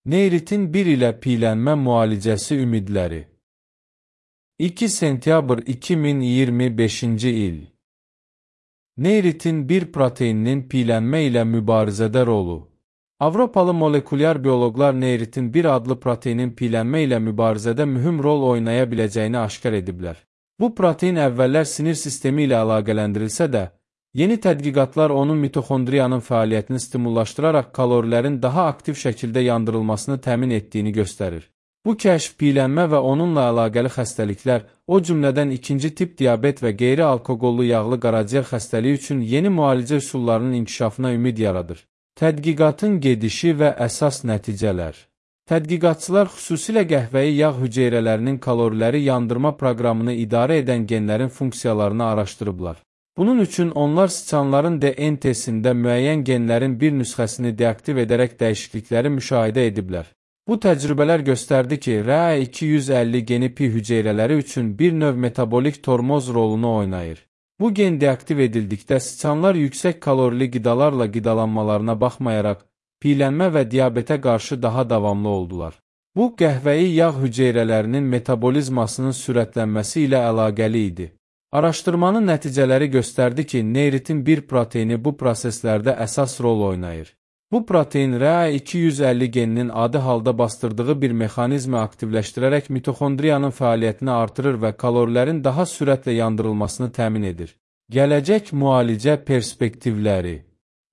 Neyritin 1 ilə piylənmə müalicəsi ümidləri. 2 sentyabr 2025-ci il. Neyritin 1 proteininin piylənmə ilə mübarizədə rolu. Avropalı molekulyar bioloqlar neyritin 1 adlı proteinin piylənmə ilə mübarizədə mühüm rol oynaya biləcəyini aşkar ediblər. Bu protein əvvəllər sinir sistemi ilə əlaqələndirilsə də, yeni tədqiqatlar onun mitoxondriyanın fəaliyyətini stimullaşdıraraq kalorilərin daha aktiv şəkildə yandırılmasını təmin etdiyini göstərir. Bu kəşf piylənmə və onunla əlaqəli xəstəliklər, o cümlədən 2-ci tip diabet və qeyri-alkoqollu yağlı qaraciyər xəstəliyi üçün yeni müalicə üsullarının inkişafına ümid yaradır. Tədqiqatın gedişi və əsas nəticələr. Tədqiqatçılar xüsusilə qəhvəyi yağ hüceyrələrinin kaloriləri yandırma proqramını idarə edən genlərin funksiyalarını araşdırıblar. Bunun üçün onlar siçanların DNT-sində müəyyən genlərin bir nüsxəsini deaktiv edərək dəyişiklikləri müşahidə ediblər. Bu təcrübələr göstərdi ki, RA250 geni pi hüceyrələri üçün bir növ metabolik tormoz rolunu oynayır. Bu gen deaktiv edildikdə siçanlar yüksək kalorili qidalarla qidalanmalarına baxmayaraq, piylənmə və diabetə qarşı daha davamlı oldular. Bu, qəhvəyi yağ hüceyrələrinin metabolizmasının sürətlənməsi ilə əlaqəli idi. Araşdırmanın nəticələri göstərdi ki, neyritin 1 proteini bu proseslərdə əsas rol oynayır. Bu protein RA250 geninin adi halda bastırdığı bir mexanizmi aktivləşdirərək mitoxondriyanın fəaliyyətini artırır və kalorilərin daha sürətlə yandırılmasını təmin edir. Gələcək müalicə perspektivləri.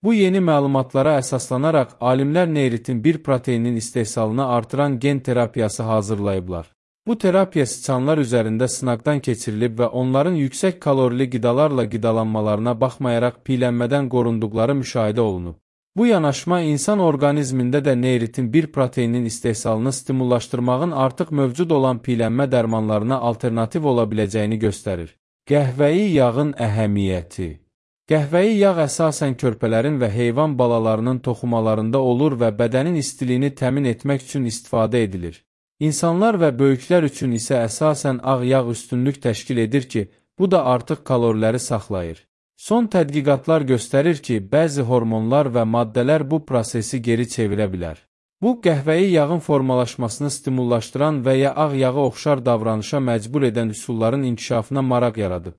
Bu yeni məlumatlara əsaslanaraq alimlər neyritin 1 proteininin istehsalını artıran gen terapiyası hazırlayıblar. Bu terapiya siçanlar üzərində sınaqdan keçirilib və onların yüksək kalorili qidalarla qidalanmalarına baxmayaraq piylənmədən qorunduqları müşahidə olunub. Bu yanaşma insan orqanizmində də neyritin 1 proteininin istehsalını stimullaşdırmağın artıq mövcud olan piylənmə dərmanlarına alternativ ola biləcəyini göstərir. Qəhvəyi yağın əhəmiyyəti. Qəhvəyi yağ əsasən körpələrin və heyvan balalarının toxumalarında olur və bədənin istiliyini təmin etmək üçün istifadə edilir. İnsanlar və böyüklər üçün isə əsasən ağ yağ üstünlük təşkil edir ki, bu da artıq kaloriləri saxlayır. Son tədqiqatlar göstərir ki, bəzi hormonlar və maddələr bu prosesi geri çevirə bilər. Bu, qəhvəyi yağın formalaşmasını stimullaşdıran və ya ağ yağı oxşar davranışa məcbur edən üsulların inkişafına maraq yaradıb.